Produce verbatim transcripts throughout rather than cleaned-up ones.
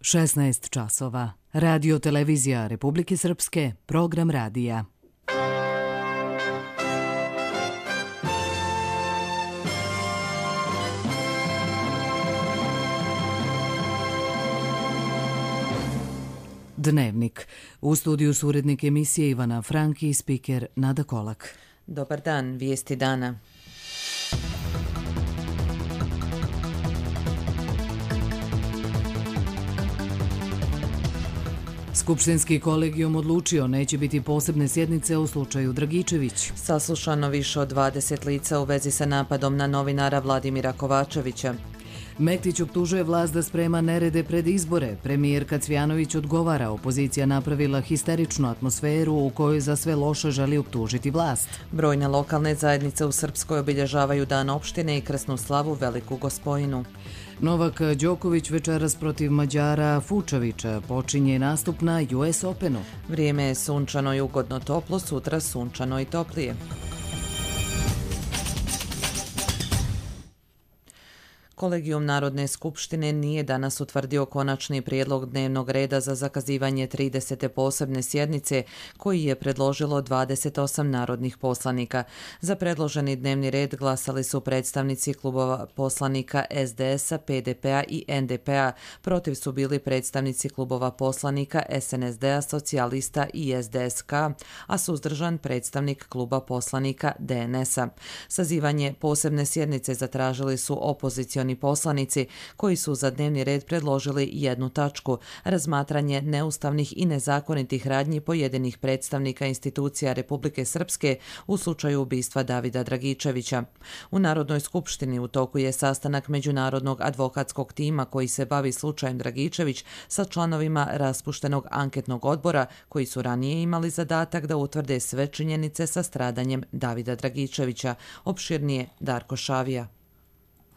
šesnaest časova. Radio televizija Republike Srpske, program radija. Dnevnik. U studiju su urednik emisije Ivana Franki i spiker Nada Kolak. Dobar dan, vijesti dana. Skupštinski kolegijum odlučio neće biti posebne sjednice u slučaju Dragičević. Saslušano više od dvadeset lica u vezi sa napadom na novinara Vladimira Kovačevića. Mektić optužuje vlast da sprema nerede pred izbore. Premijerka Cvjanović odgovara, opozicija napravila histeričnu atmosferu u kojoj za sve loše želi optužiti vlast. Brojne lokalne zajednice u Srpskoj obilježavaju dan opštine i krsnu slavu Veliku Gospojinu. Novak Đoković večeras protiv Mađara Fučovića počinje nastup na U S Openu. Vrijeme je sunčano i ugodno toplo, sutra sunčano i toplije. Kolegijum Narodne skupštine nije danas utvrdio konačni prijedlog dnevnog reda za zakazivanje tridesete posebne sjednice koji je predložilo dvadeset osam narodnih poslanika. Za predloženi dnevni red glasali su predstavnici klubova poslanika S D S-a, P D P-a i N D P-a. Protiv su bili predstavnici klubova poslanika S N S D-a, Socijalista i S D S K, a suzdržan predstavnik kluba poslanika D N S-a. Sazivanje posebne sjednice zatražili su opozicioni poslanici koji su za dnevni red predložili jednu tačku, razmatranje neustavnih i nezakonitih radnji pojedinih predstavnika institucija Republike Srpske u slučaju ubistva Davida Dragičevića. U Narodnoj skupštini u toku je sastanak Međunarodnog advokatskog tima koji se bavi slučajem Dragičević sa članovima raspuštenog anketnog odbora koji su ranije imali zadatak da utvrde sve činjenice sa stradanjem Davida Dragičevića. Opširnije Darko Šavija.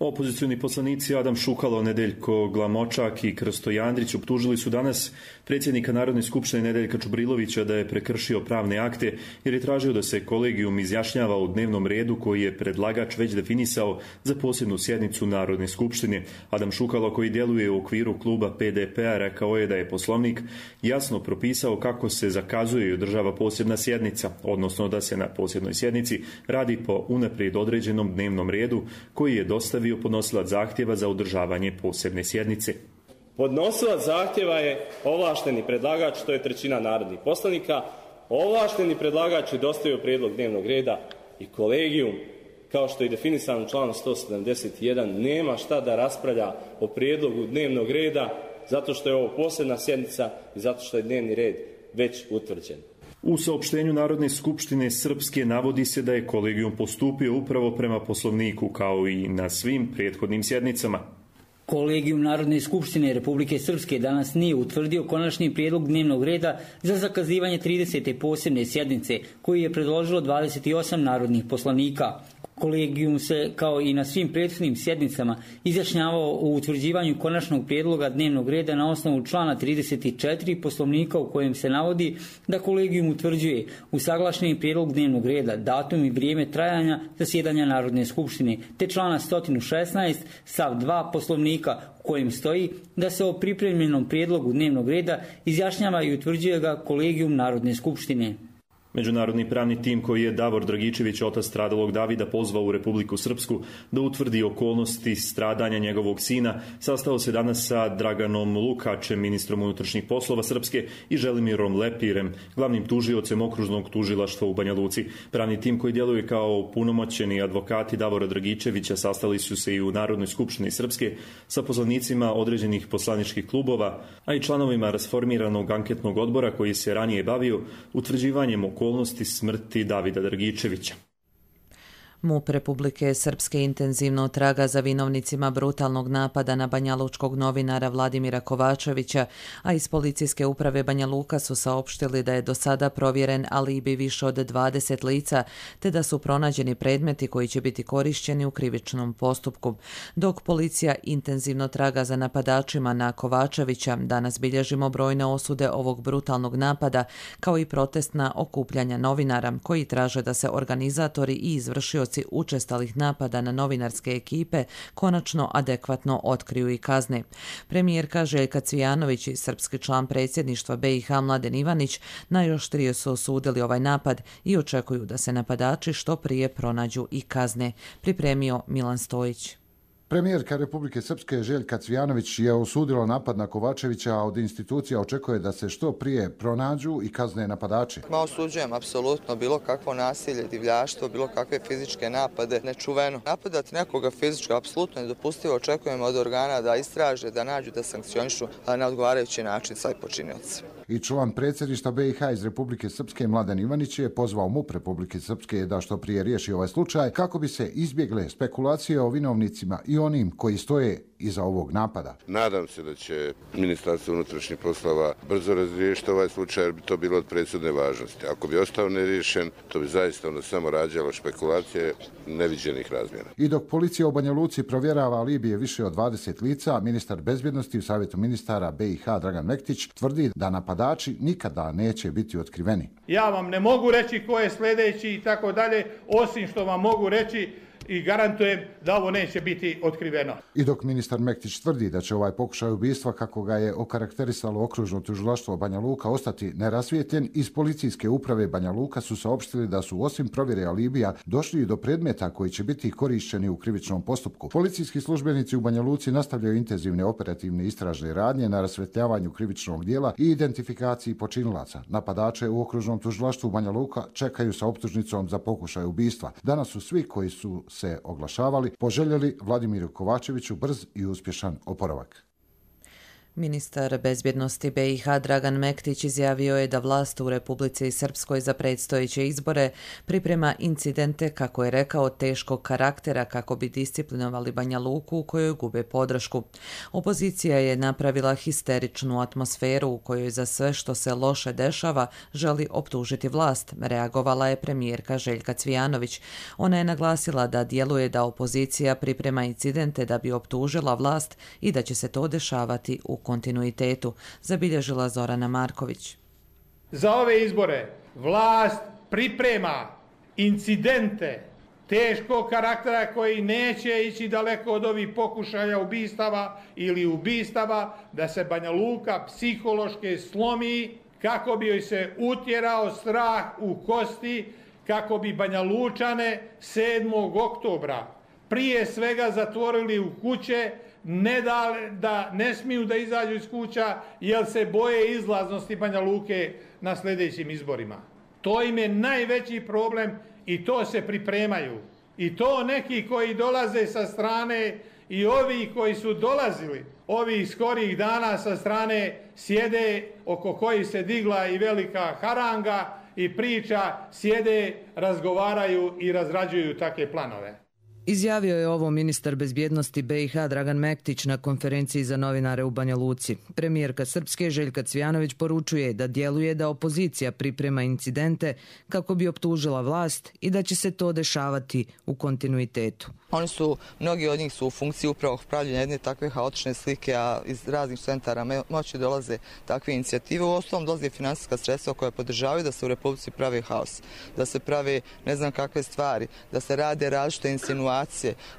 Opozicioni poslanici Adam Šukalo, Nedeljko Glamočak i Krsto Jandrić optužili su danas predsjednika Narodne skupštine Nedeljka Čubrilovića da je prekršio pravne akte jer je tražio da se kolegijum izjašnjava o dnevnom redu koji je predlagač već definisao za posebnu sjednicu Narodne skupštine. Adam Šukalo, koji djeluje u okviru kluba P D P-a, rekao je da je Poslovnik jasno propisao kako se zakazuje i održava posebna sjednica, odnosno da se na posebnoj sjednici radi po unaprijed određenom dnevnom redu koji je dostavio podnosilac zahtjeva za održavanje posebne sjednice. Podnosilac zahtjeva je ovlašteni predlagač, to je trećina narodnih poslanika. Ovlašteni predlagač je dostavio prijedlog dnevnog reda i kolegijum, kao što je definisano u članu sto sedamdeset jedan, nema šta da raspravlja o prijedlogu dnevnog reda zato što je ovo posebna sjednica i zato što je dnevni red već utvrđen. U saopštenju Narodne skupštine Srpske navodi se da je kolegijum postupio upravo prema Poslovniku kao i na svim prethodnim sjednicama. Kolegijum Narodne skupštine Republike Srpske danas nije utvrdio konačni prijedlog dnevnog reda za zakazivanje tridesete posebne sjednice koji je predložilo dvadeset osam narodnih poslanika. Kolegijum se, kao i na svim prethodnim sjednicama, izjašnjavao o utvrđivanju konačnog prijedloga dnevnog reda na osnovu člana trideset četiri Poslovnika u kojem se navodi da kolegijum utvrđuje usaglašeni prijedlog dnevnog reda, datum i vrijeme trajanja zasjedanja Narodne skupštine, te člana sto šesnaest stav dva Poslovnika u kojem stoji da se o pripremljenom prijedlogu dnevnog reda izjašnjava i utvrđuje ga kolegijum Narodne skupštine. Međunarodni pravni tim koji je Davor Dragičević, otac stradalog Davida, pozvao u Republiku Srpsku da utvrdi okolnosti stradanja njegovog sina, sastao se danas sa Draganom Lukačem, ministrom unutrašnjih poslova Srpske, i Želimirom Lepirem, glavnim tužiocem okružnog tužilaštva u Banja Luci. Pravni tim koji djeluje kao punomoćeni advokati Davora Dragičevića sastali su se i u Narodnoj skupštini Srpske sa poslanicima određenih poslaničkih klubova, a i članovima rasformiranog anketnog odbora koji se ranije bavio utvrđivanjem okolnosti smrti Davida Dragičevića. MUP Republike Srpske intenzivno traga za vinovnicima brutalnog napada na banjalučkog novinara Vladimira Kovačevića, a iz policijske uprave Banja Luka su saopštili da je do sada provjeren alibi više od dvadeset lica, te da su pronađeni predmeti koji će biti korišćeni u krivičnom postupku. Dok policija intenzivno traga za napadačima na Kovačevića, danas bilježimo brojne osude ovog brutalnog napada, kao i protestna okupljanja novinara koji traže da se organizatori i izvršioci svjedoci učestalih napada na novinarske ekipe konačno adekvatno otkriju i kazne. Premijerka Željka Cvijanović i srpski član predsjedništva B i H Mladen Ivanić najoštrije su osudili ovaj napad i očekuju da se napadači što prije pronađu i kazne, pripremio Milan Stojić. Premijerka Republike Srpske Željka Cvijanović je osudila napad na Kovačevića, a od institucija očekuje da se što prije pronađu i kazne napadači. Ma osuđujem apsolutno bilo kakvo nasilje, divljaštvo, bilo kakve fizičke napade, nečuveno. Napadati nekoga fizički apsolutno nedopustivo, očekujemo od organa da istraže, da nađu, da sankcionišu na odgovarajući način sve počinioce. I član predsjedništva B i H iz Republike Srpske Mladen Ivanić je pozvao MUP Republike Srpske da što prije riješi ovaj slučaj kako bi se izbjegle spekulacije o vinovnicima i onim koji stoje iza ovog napada. Nadam se da će Ministarstvo unutrašnjih poslova brzo razriješiti ovaj slučaj jer bi to bilo od presudne važnosti. Ako bi ostao neriješen, to bi zaista onda samo rađalo špekulacije neviđenih razmjera. I dok policija u Banja Luci provjerava alibije više od dvadeset lica, ministar bezbjednosti u Savjetu ministara B i H Dragan Mektić tvrdi da napadači nikada neće biti otkriveni. Ja vam ne mogu reći ko je sljedeći i tako dalje, osim što vam mogu reći i garantujem da ovo neće biti otkriveno. I dok ministar Mektić tvrdi da će ovaj pokušaj ubistva, kako ga je okarakterisalo okružno tužilaštvo Banja Luka, ostati nerasvijetljen, iz policijske uprave Banja Luka su saopštili da su osim provjere alibija došli i do predmeta koji će biti korišćeni u krivičnom postupku. Policijski službenici u Banja Luci nastavljaju intenzivne operativne istražne radnje na rasvetljavanju krivičnog dijela i identifikaciji počinilaca. Napadače u okružnom tužilaštvu Banja Luka čekaju sa optužnicom za pokušaj ubistva. Danas su svi koji su se oglašavali poželjeli Vladimiru Kovačeviću brz i uspješan oporavak. Ministar bezbjednosti B i H Dragan Mektić izjavio je da vlast u Republici Srpskoj za predstojeće izbore priprema incidente, kako je rekao, teškog karaktera kako bi disciplinovali Banja Luku u kojoj gube podršku. Opozicija je napravila histeričnu atmosferu u kojoj za sve što se loše dešava želi optužiti vlast, reagovala je premijerka Željka Cvijanović. Ona je naglasila da djeluje da opozicija priprema incidente da bi optužila vlast i da će se to dešavati u kontinuitetu, zabilježila Zorana Marković. Za ove izbore vlast priprema incidente teškog karaktera koji neće ići daleko od ovih pokušaja ubistava ili ubistava, da se Banja Luka psihološki slomi kako bi joj se utjerao strah u kosti, kako bi Banja Lučane sedmog oktobra prije svega zatvorili u kuće, ne da, da ne smiju da izađu iz kuća jer se boje izlaznosti Banja Luke na sljedećim izborima. To im je najveći problem i to se pripremaju. I to neki koji dolaze sa strane i ovi koji su dolazili ovih skorijih dana sa strane sjede oko kojih se digla i velika haranga i priča, sjede, razgovaraju i razrađuju takve planove. Izjavio je ovo ministar bezbjednosti B i H Dragan Mektić na konferenciji za novinare u Banja Luci. Premijerka Srpske Željka Cvijanović poručuje da djeluje da opozicija priprema incidente kako bi optužila vlast i da će se to dešavati u kontinuitetu. Oni su, mnogi od njih su u funkciji upravo pravljenja jedne takve haotične slike, a iz raznih centara moći dolaze takve inicijative. U osnovom dolaze finansijska sredstva koja podržavaju da se u Republici pravi haos, da se prave ne znam kakve stvari, da se rade različite insinuacije,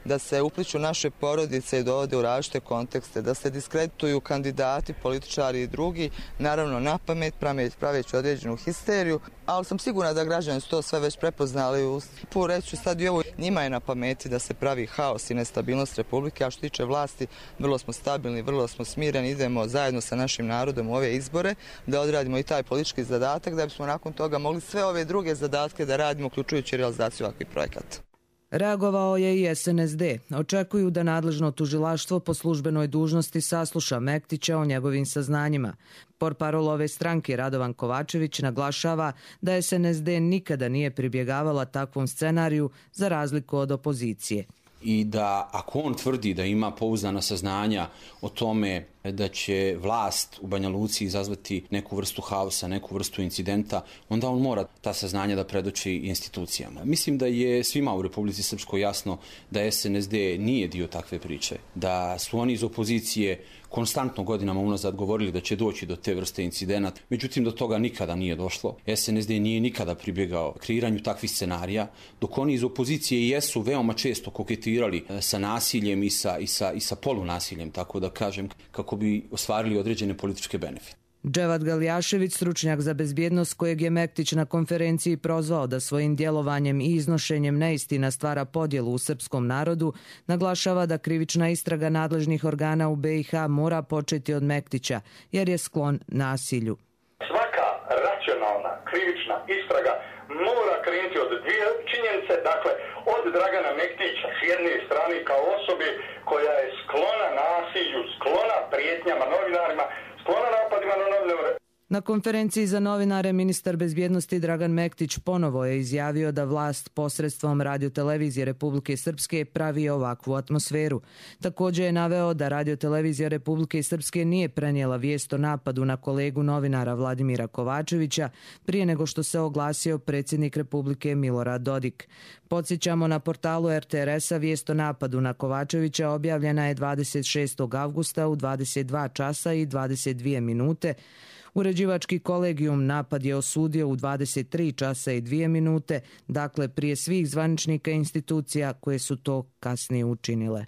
da se upliču naše porodice i dovode u različite kontekste, da se diskredituju kandidati, političari i drugi, naravno na pamet, praveći određenu histeriju, ali sam sigurna da građani su to sve već prepoznali. Reću sad i ovo, njima je na pameti da se pravi haos i nestabilnost Republike, a što tiče vlasti, vrlo smo stabilni, vrlo smo smireni, idemo zajedno sa našim narodom u ove izbore, da odradimo i taj politički zadatak, da bismo nakon toga mogli sve ove druge zadatke da radimo, uključujući realizaciju ovakvih projekata. Reagovao je i S N S D. Očekuju da nadležno tužilaštvo po službenoj dužnosti sasluša Mektića o njegovim saznanjima. Portparol ove stranke Radovan Kovačević naglašava da S N S D nikada nije pribjegavala takvom scenariju za razliku od opozicije. I da ako on tvrdi da ima pouzdana saznanja o tome da će vlast u Banja Luci izazvati neku vrstu haosa, neku vrstu incidenta, onda on mora ta saznanja da predoči institucijama. Mislim da je svima u Republici Srpskoj jasno da S N S D nije dio takve priče, da su oni iz opozicije konstantno godinama unazad govorili da će doći do te vrste incidenata, međutim do toga nikada nije došlo. S N S D nije nikada pribjegao kreiranju takvih scenarija, dok oni iz opozicije jesu veoma često koketirali sa nasiljem i sa, i sa, i sa polunasiljem, tako da kažem, kako bi ostvarili određene političke benefite. Dževat Galjašević, stručnjak za bezbjednost kojeg je Mektić na konferenciji prozvao da svojim djelovanjem i iznošenjem neistina stvara podjelu u srpskom narodu, naglašava da krivična istraga nadležnih organa u B i H mora početi od Mektića, jer je sklon nasilju. Svaka racionalna krivična istraga mora krenuti od dvije činjenice, dakle od Dragana Mektića s jedne strane kao osobe koja je sklona nasilju, sklona prijetnjama novinarima, sklona napadima na novinare. Na konferenciji za novinare ministar bezbjednosti Dragan Mektić ponovo je izjavio da vlast posredstvom radiotelevizije Republike Srpske pravi ovakvu atmosferu. Također je naveo da radiotelevizija Republike Srpske nije prenijela vijest o napadu na kolegu novinara Vladimira Kovačevića prije nego što se oglasio predsjednik Republike Milorad Dodik. Podsjećamo, na portalu R T R S-a vijest o napadu na Kovačevića objavljena je dvadeset šestog avgusta u dvadeset dva časa i dvadeset dvije minute. Uređivački kolegijum napad je osudio u dvadeset tri časa i dvije minute, dakle prije svih zvaničnika institucija koje su to kasnije učinile.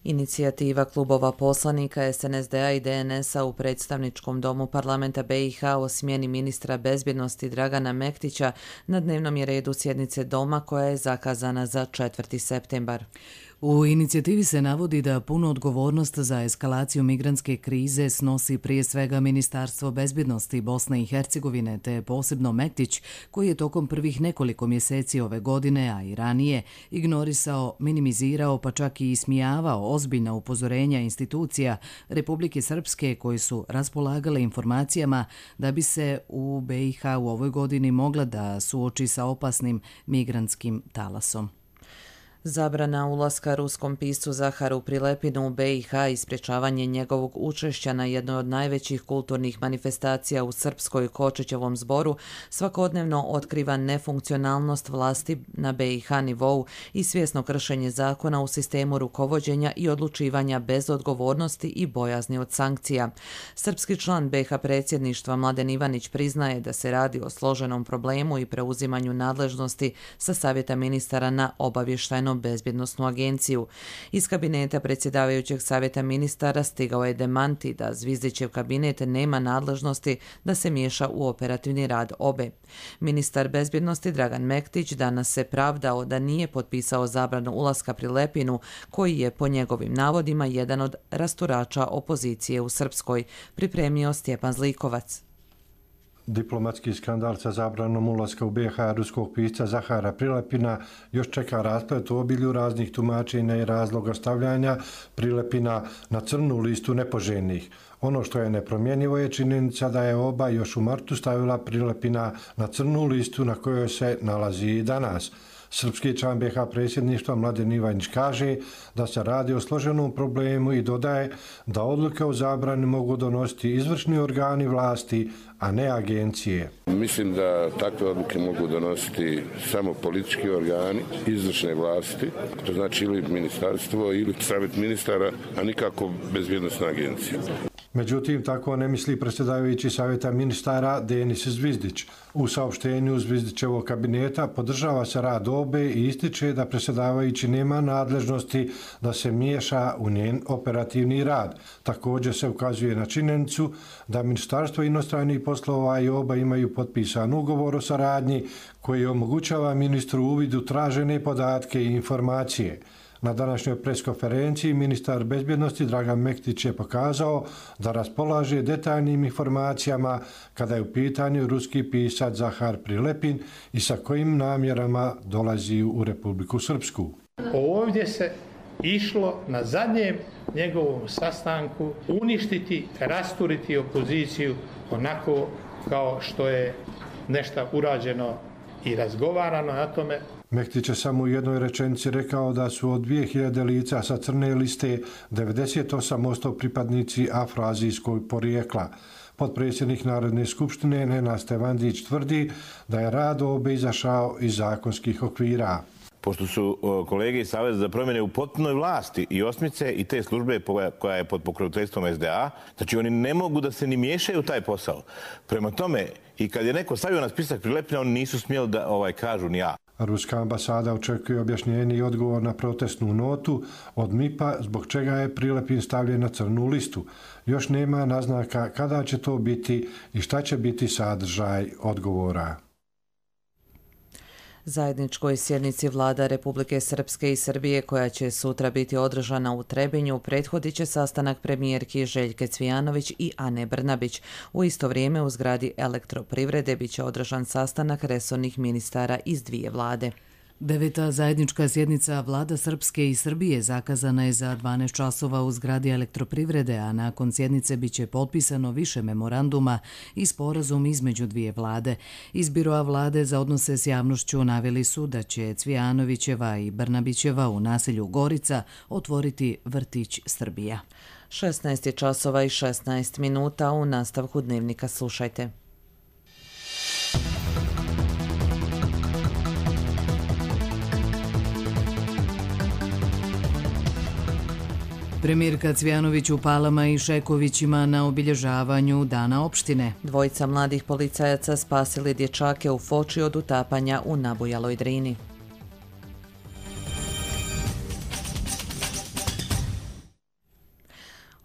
Inicijativa klubova poslanika S N S D-a i D N S-a u predstavničkom domu parlamenta B i H o smjeni ministra bezbjednosti Dragana Mektića na dnevnom je redu sjednice doma koja je zakazana za četvrti septembar. U inicijativi se navodi da punu odgovornost za eskalaciju migrantske krize snosi prije svega Ministarstvo bezbjednosti Bosne i Hercegovine, te posebno Mektić, koji je tokom prvih nekoliko mjeseci ove godine, a i ranije, ignorisao, minimizirao pa čak i ismijavao ozbiljna upozorenja institucija Republike Srpske koji su raspolagale informacijama da bi se u B i H u ovoj godini mogla da suoči sa opasnim migrantskim talasom. Zabrana ulaska ruskom piscu Zaharu Prilepinu u B i H i sprječavanje njegovog učešća na jednoj od najvećih kulturnih manifestacija u srpskoj Kočićevom zboru svakodnevno otkriva nefunkcionalnost vlasti na B i H nivou i svjesno kršenje zakona u sistemu rukovođenja i odlučivanja bez odgovornosti i bojazni od sankcija. Srpski član B i H predsjedništva Mladen Ivanić priznaje da se radi o složenom problemu i preuzimanju nadležnosti sa savjeta ministara na obavještajno bezbjednosnu agenciju. Iz kabineta predsjedavajućeg savjeta ministara stigao je demanti da Zvizdićev kabinet nema nadležnosti da se miješa u operativni rad obe. Ministar bezbjednosti Dragan Mektić danas se pravdao da nije potpisao zabranu ulaska Prilepinu, koji je po njegovim navodima jedan od rasturača opozicije u Srpskoj, pripremio Stjepan Zlikovac. Diplomatski skandal sa zabranom ulaska u B i H ruskog pisca Zahara Prilepina još čeka rasplet u obilju raznih tumačenja i razloga stavljanja Prilepina na crnu listu nepoželjnih. Ono što je nepromjenjivo je činjenica da je oba još u martu stavila Prilepina na crnu listu na kojoj se nalazi i danas. Srpski član B i H predsjedništva Mladen Ivanić kaže da se radi o složenom problemu i dodaje da odluke o zabrani mogu donositi izvršni organi vlasti, a ne agencije. Mislim da takve odluke mogu donositi samo politički organi izvršne vlasti, to znači ili ministarstvo ili savjet ministara, a nikako bezbjednosna agencija. Međutim, tako ne misli predsjedavajući savjeta ministara Denis Zvizdić. U saopštenju Zvizdićevog kabineta podržava se rad obe i ističe da predsjedavajući nema nadležnosti da se miješa u njen operativni rad. Također se ukazuje na činjenicu da Ministarstvo inostranih poslova i oba imaju potpisan ugovor o saradnji koji omogućava ministru uvid u tražene podatke i informacije. Na današnjoj preskonferenciji ministar bezbjednosti Dragan Mektić je pokazao da raspolaže detaljnim informacijama kada je u pitanju ruski pisac Zahar Prilepin i sa kojim namjerama dolazi u Republiku Srpsku. Ovdje se išlo na zadnjem njegovom sastanku uništiti, rasturiti opoziciju onako kao što je nešto urađeno i razgovarano na tome. Mektić je samo u jednoj rečenici rekao da su od dvije hiljade lica sa crne liste devedeset osam posto pripadnici afroazijskog porijekla. Potpredsjednik Narodne skupštine Nenad Stevandić tvrdi da je rad obe izašao iz zakonskih okvira. Pošto su kolege iz Saveza za promjene u potpunoj vlasti i Osmice i te službe koja je pod pokroviteljstvom es de a, znači oni ne mogu da se ni miješaju u taj posao. Prema tome, i kad je neko stavio na spisak Prilepina, oni nisu smjeli da ovaj, kažu ni ja. Ruska ambasada očekuje objašnjenje i odgovor na protestnu notu od em i pe-a zbog čega je Prilepin stavljen na crnu listu. Još nema naznaka kada će to biti i šta će biti sadržaj odgovora. Zajedničkoj sjednici vlada Republike Srpske i Srbije koja će sutra biti održana u Trebinju prethodit će sastanak premijerki Željke Cvijanović i Ane Brnabić. U isto vrijeme u zgradi Elektroprivrede bit će održan sastanak resornih ministara iz dvije vlade. Deveta zajednička sjednica vlada Srpske i Srbije zakazana je za dvanaest časova u zgradi Elektroprivrede, a nakon sjednice biće potpisano više memoranduma i sporazum između dvije vlade. Iz biroa vlade za odnose s javnošću naveli su da će Cvijanovićeva i Brnabićeva u naselju Gorica otvoriti vrtić Srbija. šesnaest časova i šesnaest minuta. U nastavku dnevnika slušajte. Premijerka Cvijanović u Palama i Šekovićima na obilježavanju Dana opštine. Dvojica mladih policajaca spasili dječake u Foči od utapanja u nabujaloj Drini.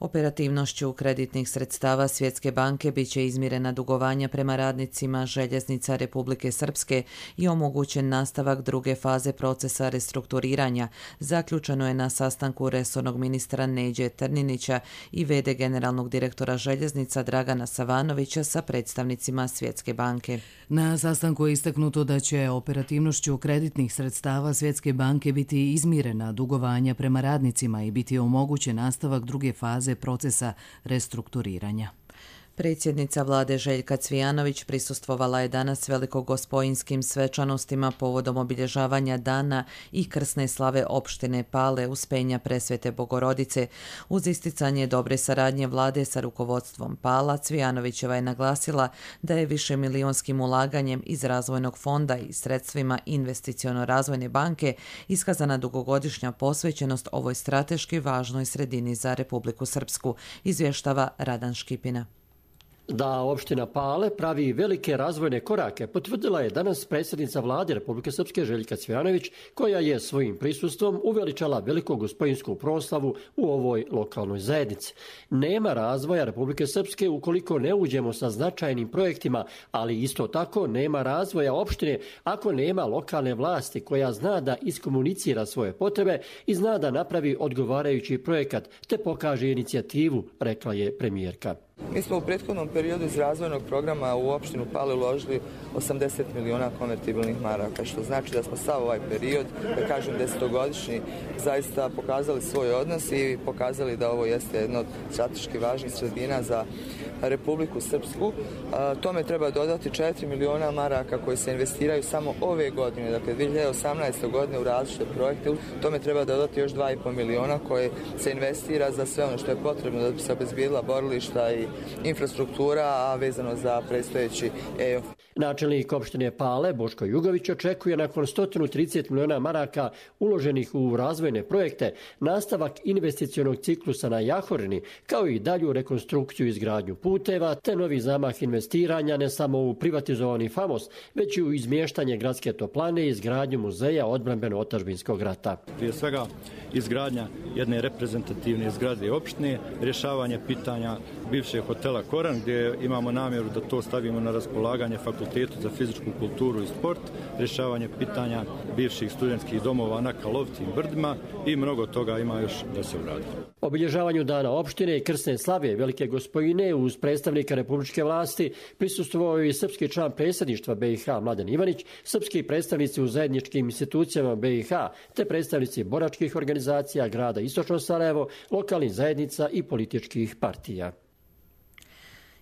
Operativnošću kreditnih sredstava Svjetske banke biće izmirena dugovanja prema radnicima Željeznica Republike Srpske i omogućen nastavak druge faze procesa restrukturiranja. Zaključeno je na sastanku resornog ministra Neđe Trninića i ve de generalnog direktora Željeznica Dragana Savanovića sa predstavnicima Svjetske banke. Na sastanku je istaknuto da će operativnošću kreditnih sredstava Svjetske banke biti izmirena dugovanja prema radnicima i biti omogućen nastavak druge faze procesa restrukturiranja. Predsjednica vlade Željka Cvijanović prisustvovala je danas velikogospojinjskim svečanostima povodom obilježavanja dana i krsne slave opštine Pale Uspenja Presvete Bogorodice. Uz isticanje dobre saradnje vlade sa rukovodstvom Pala, Cvijanovićeva je naglasila da je višemilijonskim ulaganjem iz razvojnog fonda i sredstvima investiciono-razvojne banke iskazana dugogodišnja posvećenost ovoj strateški važnoj sredini za Republiku Srpsku, izvještava Radan Škipina. Da opština Pale pravi velike razvojne korake potvrdila je danas predsjednica vlade Republike Srpske Željka Cvijanović, koja je svojim prisustvom uveličala velikogospojinjsku proslavu u ovoj lokalnoj zajednici. Nema razvoja Republike Srpske ukoliko ne uđemo sa značajnim projektima, ali isto tako nema razvoja opštine ako nema lokalne vlasti koja zna da iskomunicira svoje potrebe i zna da napravi odgovarajući projekat te pokaže inicijativu, rekla je premijerka. Mi smo u prethodnom periodu iz razvojnog programa u opštinu Pale uložili osamdeset miliona konvertibilnih maraka, što znači da smo sav ovaj period, da kažem desetogodišnji, zaista pokazali svoj odnos i pokazali da ovo jeste jedno od strateški važnih sredina za Republiku Srpsku. Tome treba dodati četiri miliona maraka koji se investiraju samo ove godine, dakle dvije hiljade osamnaeste. godine u različite projekte. Tome treba dodati još dva i po miliona koje se investira za sve ono što je potrebno da bi se obezbijedila borilišta i infrastruktura, a vezano za predstojeći E O F. Načelnik opštine Pale, Boško Jugović, očekuje nakon sto trideset miliona maraka uloženih u razvojne projekte nastavak investicionog ciklusa na Jahorini, kao i dalju rekonstrukciju i izgradnju puteva, te novi zamah investiranja ne samo u privatizovani Famos, već i u izmještanje gradske toplane i izgradnju muzeja odbrambeno-otadžbinskog rata. Prije svega izgradnja jedne reprezentativne zgrade opštine, rješavanje pitanja bivšeg hotela Koran, gdje imamo namjeru da to stavimo na raspolaganje Fakultetu za fizičku kulturu i sport, rješavanje pitanja bivših studentskih domova na Kalovci i Brdima i mnogo toga ima još da se uradi. Obilježavanju dana opštine i krsne slave Velike Gospojine uz predstavnika republičke vlasti prisustvovao je i srpski član predsjedništva be i ha Mladen Ivanić, srpski predstavnici u zajedničkim institucijama be i ha, te predstavnici boračkih organizacija grada Istočno Sarajevo, lokalnih zajednica i političkih partija.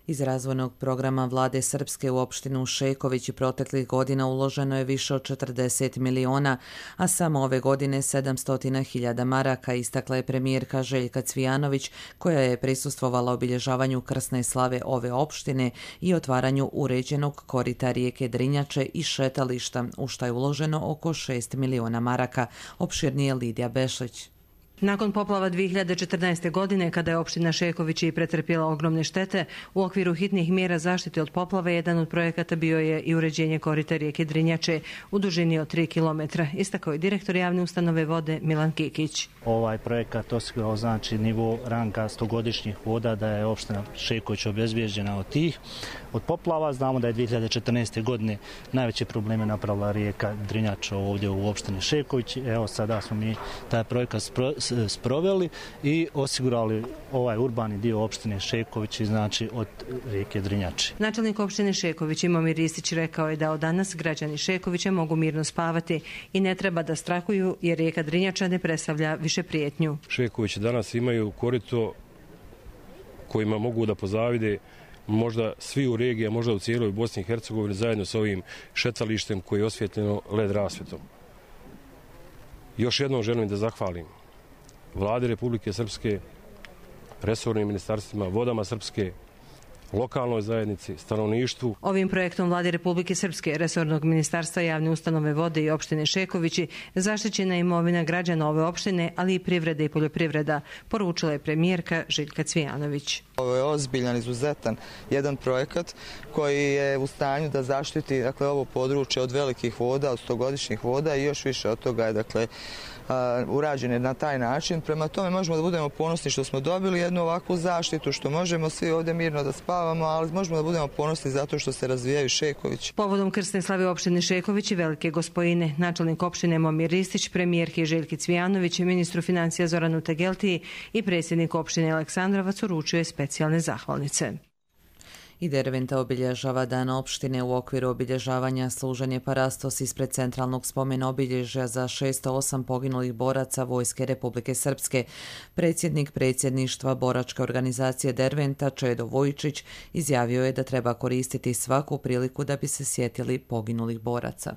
Iz razvojnog programa vlade Srpske u opštinu Šeković proteklih godina uloženo je više od četrdeset miliona, a samo ove godine sedamsto hiljada maraka, istakla je premijerka Željka Cvijanović, koja je prisustvovala obilježavanju krsne slave ove opštine i otvaranju uređenog korita rijeke Drinjače i šetališta, u šta je uloženo oko šest miliona maraka, opširnije Lidija Bešlić. Nakon poplava dvije hiljade četrnaeste. godine, kada je opština Šeković i pretrpjela ogromne štete, u okviru hitnih mjera zaštite od poplave jedan od projekata bio je i uređenje korita rijeke Drinjače u dužini od tri kilometra, istakao je direktor javne ustanove vode Milan Kikić. Ovaj projekat osigurao znači nivo ranga stogodišnjih voda, da je opština Šeković obezbijeđena od tih. Od poplava znamo da je dvije hiljade četrnaeste. godine najveće probleme napravila rijeka Drinjača ovdje u opštini Šeković. Evo sada smo mi taj projekat spro sproveli i osigurali ovaj urbani dio opštine Šeković, znači od rijeke Drinjače. Načelnik opštine Šeković Momir Ristić rekao je da od danas građani Šekovića mogu mirno spavati i ne treba da strahuju jer rijeka Drinjača ne predstavlja više prijetnju. Šeković danas imaju korito kojima mogu da pozavide možda svi u regiji, a možda u cijeloj Bosni i Hercegovini, zajedno s ovim šetalištem koji je osvjetljeno led rasvjetom. Još jednom želim da zahvalim Vladi Republike Srpske, resornim ministarstvima, vodama Srpske, lokalnoj zajednici, stanovništvu. Ovim projektom Vlade Republike Srpske, resornog ministarstva, javne ustanove vode i opštine Šekovići zaštićena je imovina građana ove opštine, ali i privreda i poljoprivreda, poručila je premijerka Željka Cvijanović. Ovo je ozbiljan, izuzetan jedan projekat koji je u stanju da zaštiti dakle, ovo područje od velikih voda, od stogodišnjih voda i još više od toga je dakle, urađene na taj način. Prema tome možemo da budemo ponosni što smo dobili jednu ovakvu zaštitu, što možemo svi ovdje mirno da spavamo, ali možemo da budemo ponosni zato što se razvijaju Šeković. Povodom krsne slave opštine Šeković i Velike Gospojine, načelnik opštine Momir Ristić, premijerki Željki Cvijanović, ministru financija Zoranu Tegeltiji i predsjednik opštine Aleksandrovac uručuje specijalne zahvalnice. I Derventa obilježava dan opštine u okviru obilježavanja služenje parastos ispred centralnog spomena obilježja za šesto osam poginulih boraca Vojske Republike Srpske. Predsjednik predsjedništva boračke organizacije Derventa Čedo Vojčić izjavio je da treba koristiti svaku priliku da bi se sjetili poginulih boraca.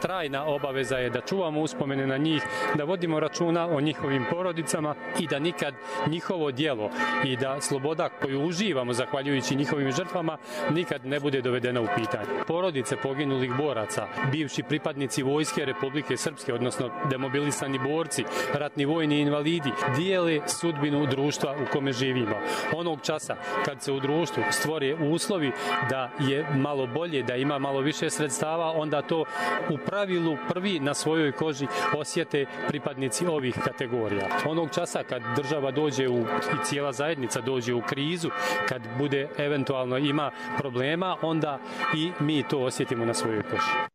Trajna obaveza je da čuvamo uspomene na njih, da vodimo računa o njihovim porodicama i da nikad njihovo djelo i da sloboda koju uživamo zahvaljujući njihovim žrtvama nikad ne bude dovedena u pitanje. Porodice poginulih boraca, bivši pripadnici Vojske Republike Srpske, odnosno demobilisani borci, ratni vojni invalidi, dijele sudbinu društva u kome živimo. Onog časa kad se u društvu stvore uslovi da je malo bolje, da ima malo više sredstava, onda to u pravilu prvi na svojoj koži osjete pripadnici ovih kategorija. Onog časa kad država dođe u, i cijela zajednica dođe u krizu, kad bude eventualno ima problema, onda i mi to osjetimo na svojoj koži.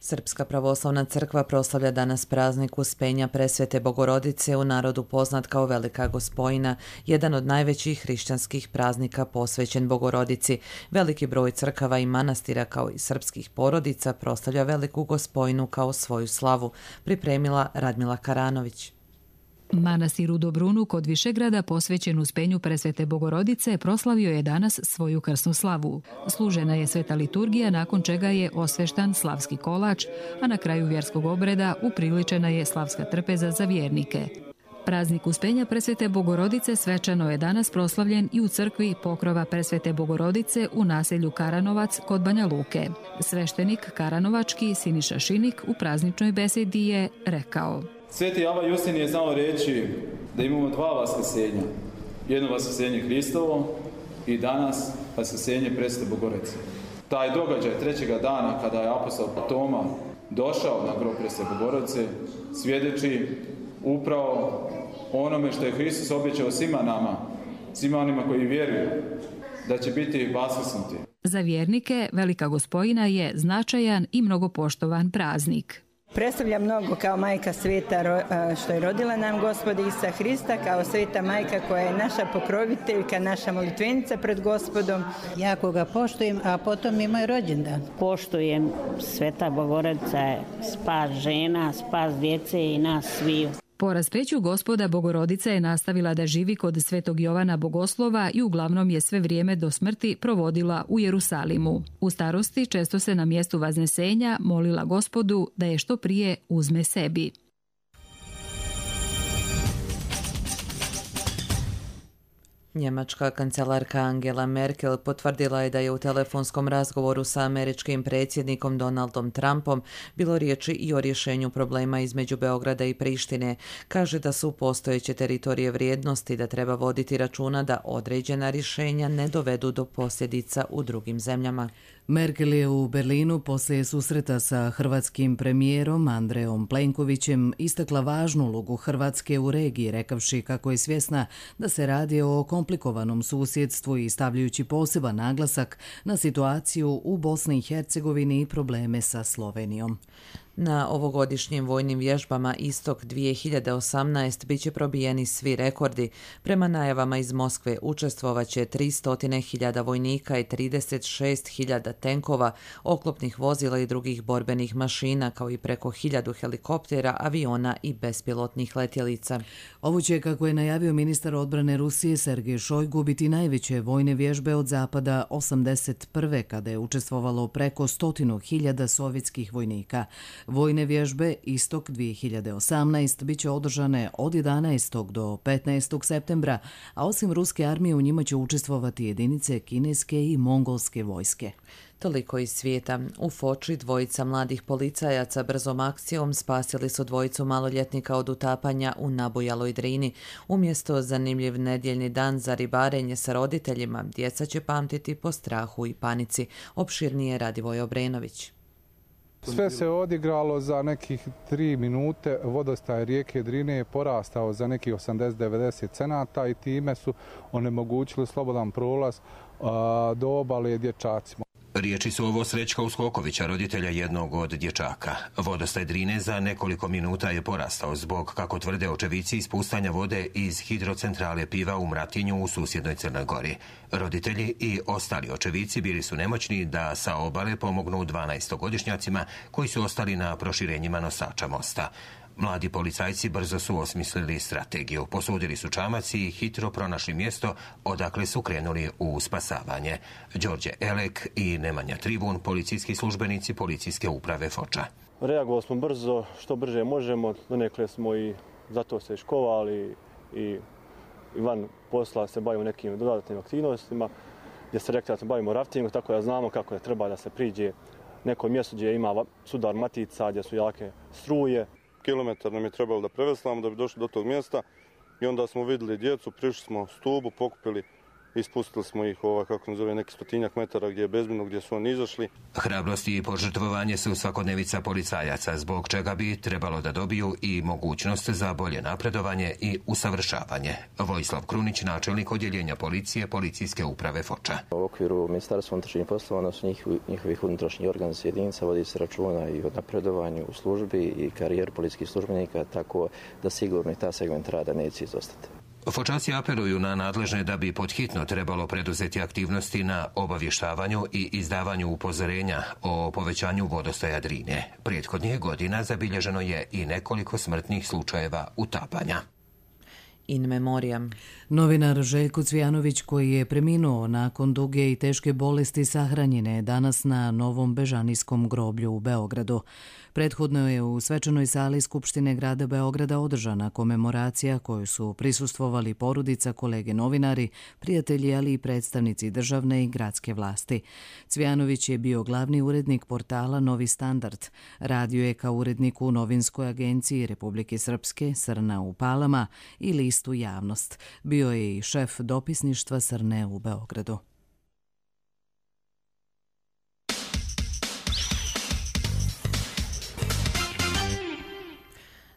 Srpska pravoslavna crkva proslavlja danas praznik Uspenja Presvete Bogorodice, u narodu poznat kao Velika Gospojina, jedan od najvećih hrišćanskih praznika posvećen Bogorodici. Veliki broj crkava i manastira kao i srpskih porodica proslavlja Veliku Gospojinu kao svoju slavu, pripremila Radmila Karanović. Manastir u Dobrunu kod Višegrada posvećen Uspenju Presvete Bogorodice proslavio je danas svoju krsnu slavu. Služena je sveta liturgija, nakon čega je osveštan slavski kolač, a na kraju vjerskog obreda upriličena je slavska trpeza za vjernike. Praznik Uspenja Presvete Bogorodice svečano je danas proslavljen i u crkvi Pokrova Presvete Bogorodice u naselju Karanovac kod Banja Luke. Sveštenik Karanovački Siniša Šinik u prazničnoj besedi je rekao: Sveti Ava Justin je znao reći da imamo dva vaskrsenja. Jedno vaskrsenje Hristovo i danas vaskrsenje Presvete Bogorodice. Taj događaj trećega dana kada je apostol Toma došao na grob Presvete Bogorodice svjedoči upravo onome što je Hristos obećao svima nama, svima onima koji vjeruju da će biti vaskrsnuti. Za vjernike Velika Gospojina je značajan i mnogo poštovan praznik. Predstavlja mnogo kao majka sveta što je rodila nam Gospoda Isusa Hrista, kao sveta majka koja je naša pokroviteljka, naša molitvenica pred Gospodom. Jako ga poštujem, a potom i moj rođendan. Poštujem, sveta Bogorodica je spas žena, spas djece i nas sviju. Po raspeću gospoda Bogorodica je nastavila da živi kod Svetog Jovana Bogoslova i uglavnom je sve vrijeme do smrti provodila u Jerusalimu. U starosti često se na mjestu vaznesenja molila Gospodu da je što prije uzme sebi. Njemačka kancelarka Angela Merkel potvrdila je da je u telefonskom razgovoru sa američkim predsjednikom Donaldom Trumpom bilo riječi i o rješenju problema između Beograda i Prištine. Kaže da su postojeće teritorije vrijednosti, da treba voditi računa da određena rješenja ne dovedu do posljedica u drugim zemljama. Merkel je u Berlinu poslije susreta sa hrvatskim premijerom Andrejom Plenkovićem istakla važnu ulogu Hrvatske u regiji, rekavši kako je svjesna da se radi o komplikovanom susjedstvu i stavljajući poseban naglasak na situaciju u Bosni i Hercegovini i probleme sa Slovenijom. Na ovogodišnjim vojnim vježbama Istok dvije hiljade osamnaest bit će probijeni svi rekordi. Prema najavama iz Moskve učestvovaće tristo hiljada vojnika i trideset šest hiljada tenkova, oklopnih vozila i drugih borbenih mašina, kao i preko hiljadu helikoptera, aviona i bespilotnih letjelica. Ovo će, kako je najavio ministar odbrane Rusije Sergej Šojgu, biti najveće vojne vježbe od zapada osamdeset prve kada je učestvovalo preko stotinu hiljada sovjetskih vojnika. Vojne vježbe Istok dvije hiljade osamnaest bit će održane od jedanaestog do petnaestog septembra, a osim ruske armije u njima će učestvovati jedinice kineske i mongolske vojske. Toliko iz svijeta. U Foči dvojica mladih policajaca brzom akcijom spasili su dvojicu maloljetnika od utapanja u nabujaloj Drini. Umjesto zanimljiv nedjeljni dan za ribarenje sa roditeljima, djeca će pamtiti po strahu i panici. Opširnije Radivoj Obrenović. Sve se odigralo za nekih tri minute, vodostaj rijeke Drine je porastao za nekih osamdeset do devedeset cenata i time su onemogućili slobodan prolaz a, do obale dječacima. Riječi su ovo Srećka Uskokovića, roditelja jednog od dječaka. Vodostaj Drine za nekoliko minuta je porastao zbog, kako tvrde očevici, ispuštanja vode iz hidrocentrale Piva u Mratinju u susjednoj Crnoj Gori. Roditelji i ostali očevici bili su nemoćni da sa obale pomognu dvanaestogodišnjacima koji su ostali na proširenjima nosača mosta. Mladi policajci brzo su osmislili strategiju. Posudili su čamac i hitro pronašli mjesto odakle su krenuli u spasavanje. Đorđe Elek i Nemanja Tribun, policijski službenici policijske uprave Foča. Reagovali smo brzo, što brže možemo. Donekle smo i zato se školovali i, i van posla se bavimo nekim dodatnim aktivnostima, gdje se rekli da se bavimo raftingom, tako da znamo kako je treba da se priđe neko mjesto gdje ima sudar matica, gdje su jake struje. Kilometar nam je trebalo da preveslamo da bi došli do tog mjesta i onda smo vidjeli djecu, prišli smo stubu, pokupili i spustili smo ih ovaj, kako nazove, neki stotinjak metara gdje je bezbjedno, gdje su oni izašli. Hrabrost i požrtvovanje su svakodnevica policajaca, zbog čega bi trebalo da dobiju i mogućnost za bolje napredovanje i usavršavanje. Vojislav Krunić, načelnik odjeljenja policije, policijske uprave Foča. U okviru Ministarstva unutrašnjih poslova, odnosno njihovih unutrašnjih organizacija jedinica, vodi se računa i o napredovanju u službi i karijeru policijskih službenika, tako da sigurno i ta segment rada neće izostati. Fočanci apeluju na nadležne da bi podhitno trebalo preduzeti aktivnosti na obavještavanju i izdavanju upozorenja o povećanju vodostaja Drine. Prethodnih godina zabilježeno je i nekoliko smrtnih slučajeva utapanja. In memoriam. Novinar Željko Cvijanović, koji je preminuo nakon duge i teške bolesti, sahranjen je danas na Novom Bežanijskom groblju u Beogradu. Prethodno je u svečanoj sali Skupštine grada Beograda održana komemoracija koju su prisustvovali porodica, kolege novinari, prijatelji, ali i predstavnici državne i gradske vlasti. Cvijanović je bio glavni urednik portala Novi Standard. Radio je kao urednik u Novinskoj agenciji Republike Srpske, Srna u Palama i listu Javnost. Bio je i šef dopisništva Srne u Beogradu.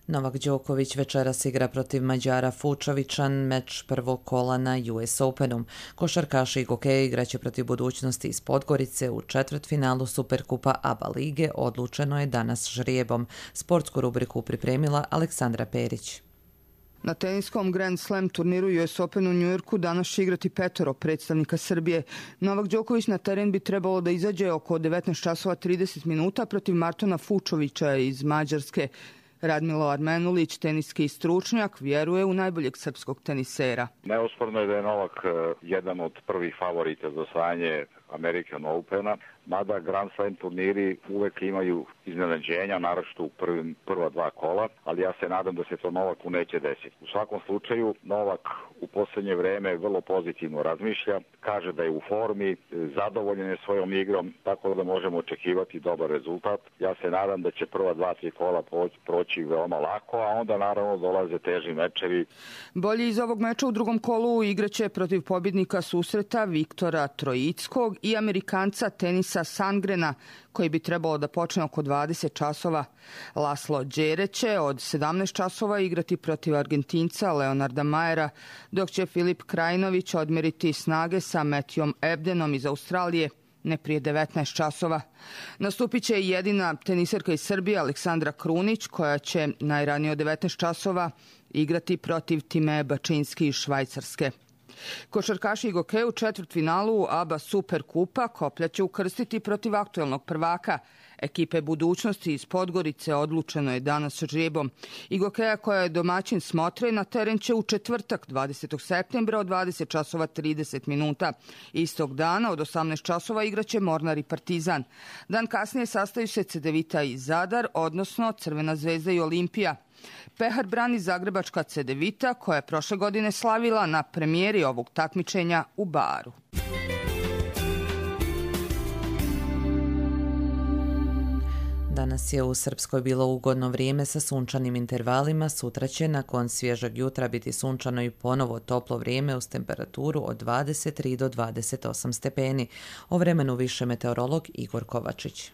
Novak Đoković večeras igra protiv Mađara Fučovića, meč prvog kola na U S Openu. Košarkaši i hokeji igraće protiv Budućnosti iz Podgorice u četvrtfinalu Superkupa A B A lige, odlučeno je danas žrijebom. Sportsku rubriku pripremila Aleksandra Perić. Na teniskom Grand Slam turniru U S Open u Njujorku danas će igrati petoro predstavnika Srbije. Novak Đoković na teren bi trebalo da izađe oko devetnaest časova trideset minuta protiv Martona Fučovića iz Mađarske. Radmilo Armenulić, teniski stručnjak, vjeruje u najboljeg srpskog tenisera. Neosporno je da je Novak jedan od prvih favorita za osvajanje American Opena, mada Grand Slam turniri uvek imaju iznenađenja, naročito u prvim, prva dva kola, ali ja se nadam da se to Novaku neće desiti. U svakom slučaju, Novak u posljednje vreme vrlo pozitivno razmišlja, kaže da je u formi, zadovoljen je svojom igrom, tako da možemo očekivati dobar rezultat. Ja se nadam da će prva dva, tri kola proći veoma lako, a onda naravno dolaze teži mečevi. Bolji iz ovog meča u drugom kolu igraće protiv pobjednika susreta Viktora Trojickog i Amerikanca tenisa Sangrena, koji bi trebalo da počne oko dvadeset časova. Laslo Đere će od sedamnaest časova igrati protiv Argentinca Leonarda Majera, dok će Filip Krajinović odmeriti snage sa Matthewom Ebdenom iz Australije ne prije devetnaest časova. Nastupit će i jedina teniserka iz Srbije Aleksandra Krunić, koja će najranije od devetnaest časova igrati protiv Timeje Bačinski iz Švajcarske. Košarkaši i gokeji u četvrtfinalu A B A Superkupa Koplja će ukrstiti protiv aktuelnog prvaka. Ekipe budućnosti iz Podgorice odlučeno je danas žrebom. I gokeja koja je domaćin Smotre na teren će u četvrtak dvadesetog septembra od dvadeset časova trideset minuta. Istog dana od osamnaest časova igraće Mornar i Partizan. Dan kasnije sastaju se Cedevita i Zadar, odnosno Crvena zvezda i Olimpija. Pehar brani zagrebačka Cedevita, koja je prošle godine slavila na premijeri ovog takmičenja u Baru. Danas je u Srpskoj bilo ugodno vrijeme sa sunčanim intervalima. Sutra će nakon svježeg jutra biti sunčano i ponovo toplo vrijeme uz temperaturu od dvadeset tri do dvadeset osam stepeni. O vremenu više meteorolog Igor Kovačić.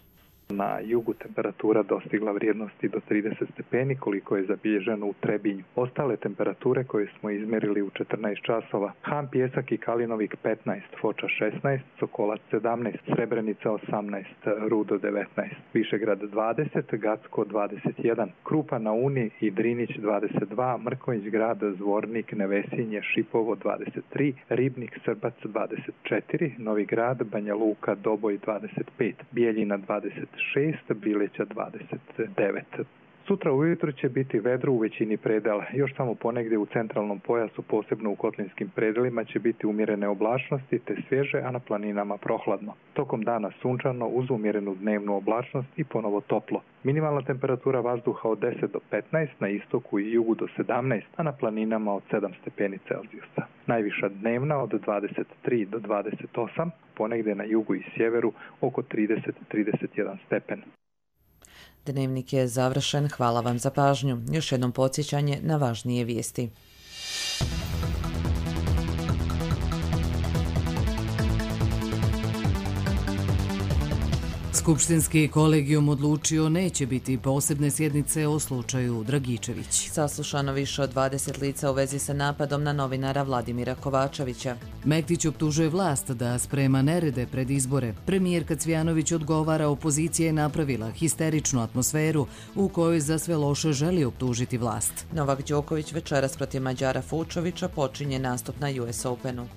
Na jugu temperatura dostigla vrijednosti do trideset stepeni, koliko je zabilježeno u Trebinju. Ostale temperature koje smo izmjerili u četrnaest časova: Han, Pjesak i Kalinovik petnaest, Foča šesnaest, Sokolac sedamnaest, Srebrenica osamnaest, Rudo devetnaest, Višegrad dvadeset, Gacko dvadeset jedan, Krupa na Uni i Drinić dvadeset dva, Mrkonjić grad, Zvornik, Nevesinje, Šipovo dvadeset tri, Ribnik, Srbac dvadeset četiri, Novi grad, Banja Luka, Doboj dvadeset pet, Bijeljina dvadeset šest, Bileća dvadeset devet. Sutra ujutro će biti vedro u većini predela. Još samo ponegdje u centralnom pojasu, posebno u kotlinskim predelima, će biti umjerene oblačnosti te svježe, a na planinama prohladno. Tokom dana sunčano uz umjerenu dnevnu oblačnost i ponovo toplo. Minimalna temperatura vazduha od deset do petnaest, na istoku i jugu do sedamnaest, a na planinama od sedam stepeni Celzijusa. Najviša dnevna od dvadeset tri do dvadeset osam, ponegdje na jugu i sjeveru oko trideset do trideset jedan stepen. Dnevnik je završen. Hvala vam za pažnju. Još jednom podsjećanje na važnije vijesti. Skupštinski kolegijum odlučio neće biti posebne sjednice o slučaju Dragičević. Saslušano više od dvadeset lica u vezi sa napadom na novinara Vladimira Kovačevića. Mektić optužuje vlast da sprema nerede pred izbore. Premijerka Cvijanović odgovara, opozicija je napravila histeričnu atmosferu u kojoj za sve loše želi optužiti vlast. Novak Đoković večeras protiv Mađara Fučovića počinje nastup na U S Openu.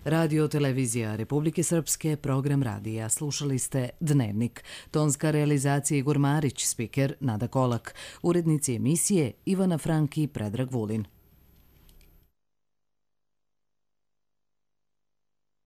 Radio televizija Republike Srpske, program radija. Slušali ste Dnevnik. Tonska realizacija Igor Marić, spiker Nada Kolak. Urednici emisije Ivana Franki i Predrag Vulin.